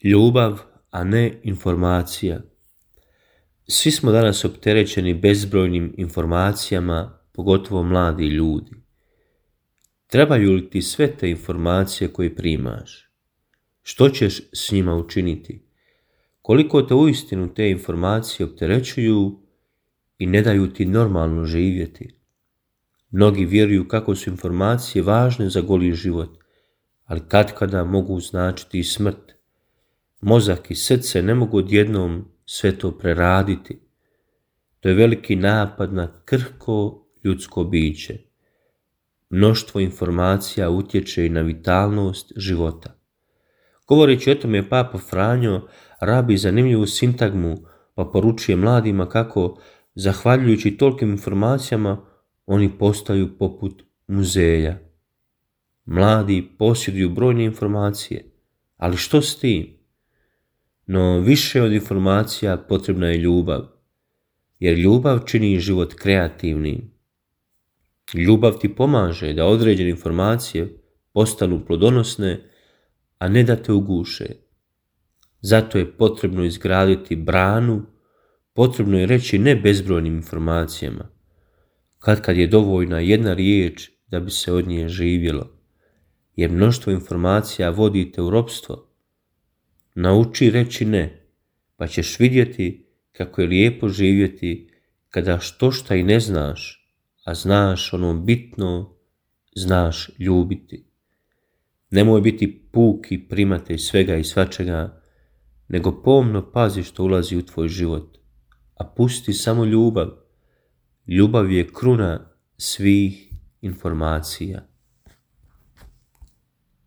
Ljubav, a ne informacija. Svi smo danas opterećeni bezbrojnim informacijama, pogotovo mladi ljudi. Trebaju li ti sve te informacije koje primaš? Što ćeš s njima učiniti? Koliko te uistinu te informacije opterećuju i ne daju ti normalno živjeti? Mnogi vjeruju kako su informacije važne za goli život, ali katkada mogu značiti i smrt. Mozak i srce ne mogu odjednom sve to preraditi. To je veliki napad na krhko ljudsko biće. Mnoštvo informacija utječe i na vitalnost života. Govoreći o tome, Papa Franjo rabi zanimljivu sintagmu, pa poručuje mladima kako, zahvaljujući tolikim informacijama, oni postaju poput muzeja. Mladi posjeduju brojne informacije, ali što s tim? No više od informacija potrebna je ljubav, jer ljubav čini život kreativnim. Ljubav ti pomaže da određene informacije postanu plodonosne, a ne da te uguše. Zato je potrebno izgraditi branu, potrebno je reći ne bezbrojnim informacijama. Kad je dovoljna jedna riječ da bi se od nje živjelo, jer mnoštvo informacija vodi te u ropstvo. Nauči reći ne, pa ćeš vidjeti kako je lijepo živjeti kada štošta i ne znaš, a znaš ono bitno, znaš ljubiti. Nemoj biti puki primatelj svega i svačega, nego pomno pazi što ulazi u tvoj život, a pusti samo ljubav. Ljubav je kruna svih informacija.